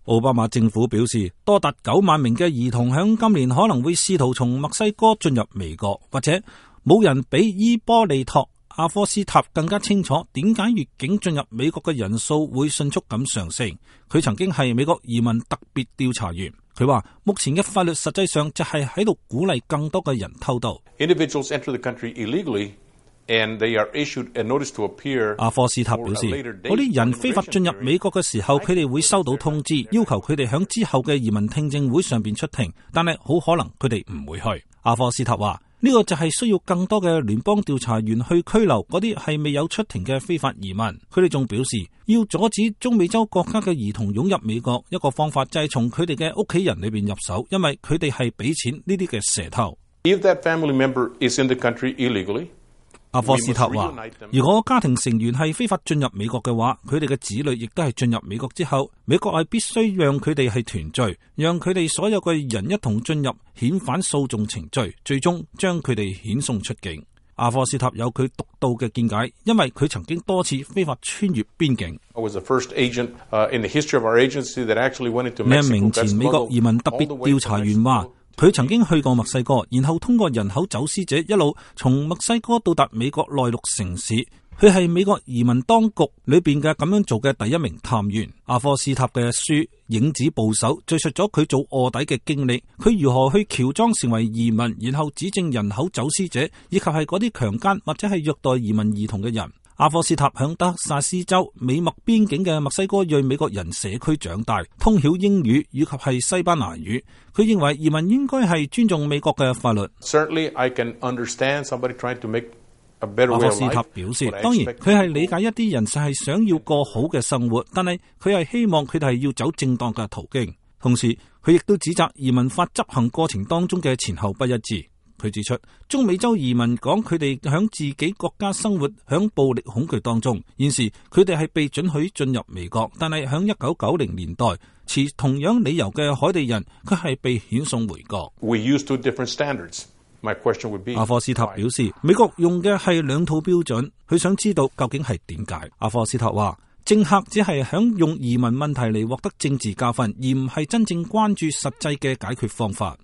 奧巴馬政府表示，多達9萬名嘅兒童響今年可能會試圖從墨西哥進入美國，或者冇人比伊波利托阿科斯塔更加清楚點解越境進入美國嘅人數會迅速咁上升。佢曾經係美國移民特別調查員，佢話目前嘅法律實際上就係喺度鼓勵更多嘅人偷渡。Individuals enter the country illegally and they are issued a notice to appear。阿科斯塔表示，嗰啲人非法進入美國嘅時候，佢哋會收到通知，要求佢哋響之後嘅移民聽證會上邊出庭，但係好可能佢哋唔會去。阿科斯塔話，呢個就係需要更多嘅聯邦調查員去拘留嗰啲係未有出庭嘅非法移民。佢哋仲表示，要阻止中美洲國家嘅兒童湧入美國，一個方法就係從佢哋嘅屋企人裏邊入手，因為佢哋係俾錢呢啲嘅蛇頭。If that family member is in the country illegally，阿科斯塔話，如果家庭成員係非法進入美國嘅話，佢哋嘅子女亦都係進入美國之後，美國係必須讓佢哋係團聚，讓佢哋所有嘅人一同進入遣返訴訟程序，最終將佢哋遣送出境。阿科斯塔有佢獨到嘅見解，因為佢曾經多次非法穿越邊境。呢一名前美國移民特別調查員話，佢曾經去過墨西哥，然後通過人口走私者一路從墨西哥到達美國內陸城市。佢係美國移民當局裏邊嘅咁樣做嘅第一名探員。阿科斯塔嘅書《影子捕手》敘述咗佢做臥底嘅經歷，佢如何去喬裝成為移民，然後指證人口走私者，以及係嗰啲強姦或者係虐待移民兒童嘅人。阿科斯塔響德薩斯州美墨邊境嘅墨西哥裔美國人社區長大，通曉英語以及係西班牙語。佢認為移民應該係尊重美國嘅法律。Certainly, I can understand somebody trying to make a better way of life. 阿科斯塔表示，當然佢係理解一啲人就係想要過好嘅生活，但係佢係希望佢哋係要走正當嘅途徑。同時，佢亦都指責移民法執行過程當中嘅前後不一致。佢指出，中美洲移民講佢哋響自己國家生活響暴力恐懼當中，現時佢哋係被准許進入美國，但係響1990年代持同樣理由嘅海地人，佢係被遣送回國。We use two different standards. My question would be， 阿科斯塔表示，美國用嘅係兩套標準，佢想知道究竟係點解。阿科斯塔話，政客只係想用移民問題嚟獲得政治教訓，而唔係真正關注實際嘅解決方法。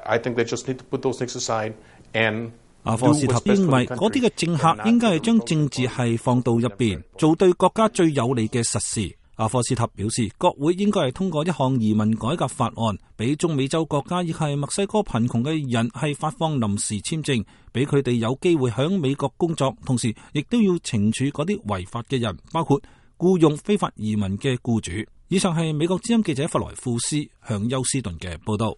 I think they just need to put those things aside and。阿科斯塔認為嗰啲嘅政客應該係將政治係放到一邊，做對國家最有利嘅實事。阿科斯塔表示，國會應該係通過一項移民改革法案，俾中美洲國家亦係墨西哥貧窮嘅人係發放臨時簽證，俾佢哋有機會響美國工作，同時亦都要懲處嗰啲違法嘅人，包括僱用非法移民嘅僱主。以上係美國之音記者弗萊庫斯向休斯頓嘅報道。